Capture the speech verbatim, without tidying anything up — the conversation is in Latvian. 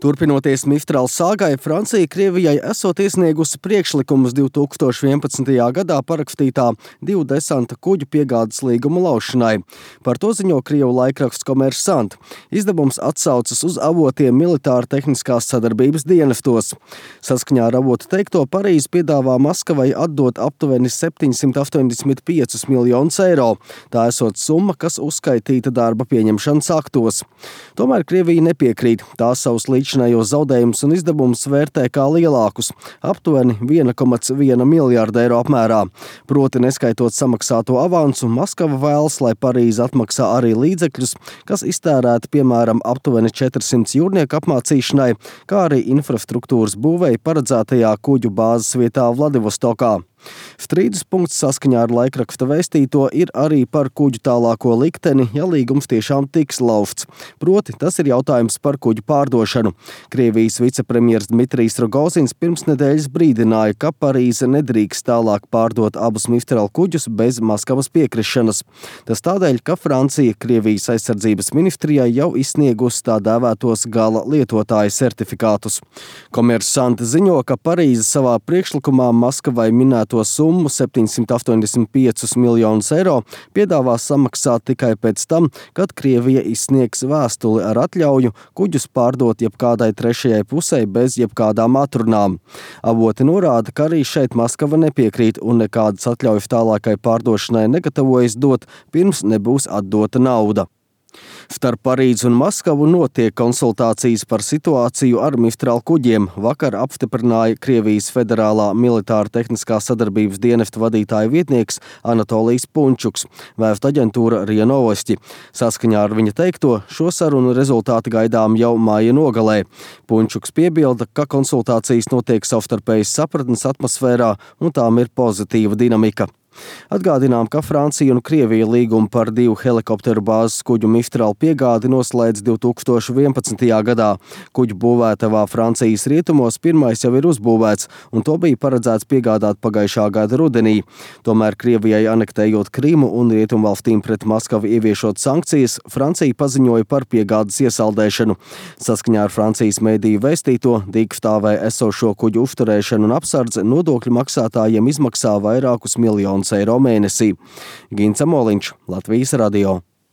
Turpinoties Mistral sāgai, Francija Krievijai esot iesniegusi priekšlikumus divi tūkstoši vienpadsmitajā gadā parakstītā divu desanta kuģu piegādes līguma laušanai. Par to ziņo Krievu laikraksts Kommersant. Izdevums atsaucas uz avotiem militāra tehniskās sadarbības dienestos. Saskaņā ar avotu teikto, Parīze piedāvā Maskavai atdot aptuveni septiņsimt astoņdesmit piecus miljonus eiro. Tā esot summa, kas uzskaitīta darba pieņemšanas aktos. Tomēr Krievija nepiekrīt. Tā savus līdzinājos zaudējumus un izdevumus vērtē kā lielākus, aptuveni viena komata viena miljārda eiro apmērā. Proti, neskaitot samaksāto avansu, Maskava vēlas, lai Parīze atmaksā arī līdzekļus, kas iztērēti piemēram aptuveni četrsimt jūrnieku apmācīšanai, kā arī infrastruktūras būvei paredzētajā kuģu bāzes vietā Vladivostokā. Strīdus punkts saskaņā ar laikraksta vēstīto ir arī par kuģu tālāko likteni, ja līgums tiešām tiks laufts. Proti, tas ir jautājums par kuģu pārdošanu. Krievijas vicepremjers Dmitrijs Rogozins pirms nedēļas brīdināja, ka Parīze nedrīkst tālāk pārdot abus Mistral kuģus bez Maskavas piekrišanas. Tas tādēļ, ka Francija Krievijas aizsardzības ministrijai jau izsniegusi tā dēvētos gala lietotāja certifikātus. Kommersant ziņo, ka Parīze savā priekšlikumā Maskavai minēto summu septiņsimt astoņdesmit piecus miljonus eiro piedāvā samaksāt tikai pēc tam, kad Krievija izsniegs vēstuli ar atļauju kuģus pārdot jebkādai trešajai pusei bez jebkādām atrunām. Avoti norāda, ka arī šeit Maskava nepiekrīt un nekādas atļaujas tālākai pārdošanai negatavojas dot, pirms nebūs atdota nauda. Starp Parīzi un Maskavu notiek konsultācijas par situāciju ar Mistral kuģiem. Vakar apstiprināja Krievijas Federālā militāra tehniskā sadarbības dienesta vadītāja vietnieks Anatolijs Punčuks, vēstu aģentūra RIA Novosti. Saskaņā ar viņa teikto, šo sarunu rezultāti gaidām jau māja nogalē. Punčuks piebilda, ka konsultācijas notiek savstarpējas sapratnes atmosfērā un tām ir pozitīva dinamika. Atgādinām, ka Francija un Krievija līgumu par divu helikopteru bāzes kuģu Mistral piegādi noslēdz divi tūkstoši vienpadsmitajā gadā. Kuģu būvētavā Francijas rietumos pirmais jau ir uzbūvēts, un to bija paredzēts piegādāt pagājušā gada rudenī. Tomēr Krievijai anektējot Krimu un rietumvalstīm pret Maskavu ieviešot sankcijas, Francija paziņoja par piegādes iesaldēšanu. Saskaņā ar Francijas mediju vēstīto, dīkstāvē esošo kuģu uzturēšanu un apsardze nodokļu maksātājiem izmaksā vairākus miljonus eiro mēnesī. Gints Amoliņš, Latvijas radio.